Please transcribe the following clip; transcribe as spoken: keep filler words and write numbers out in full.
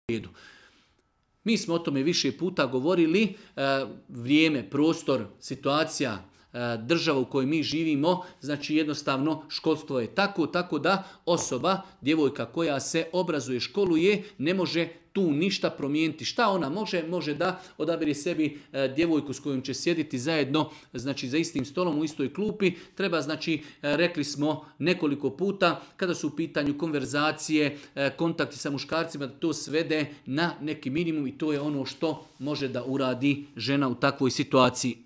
redu. Mi smo o tome više puta govorili, vrijeme, prostor, situacija, država u kojoj mi živimo, znači jednostavno školstvo je tako, tako da osoba, djevojka koja se obrazuje, školuje, ne može tu ništa promijeniti. Šta ona može? Može da odabere sebi djevojku s kojom će sjediti zajedno, znači za istim stolom u istoj klupi. Treba, znači, rekli smo nekoliko puta, kada su u pitanju konverzacije, kontakti sa muškarcima, da to svede na neki minimum i to je ono što može da uradi žena u takvoj situaciji.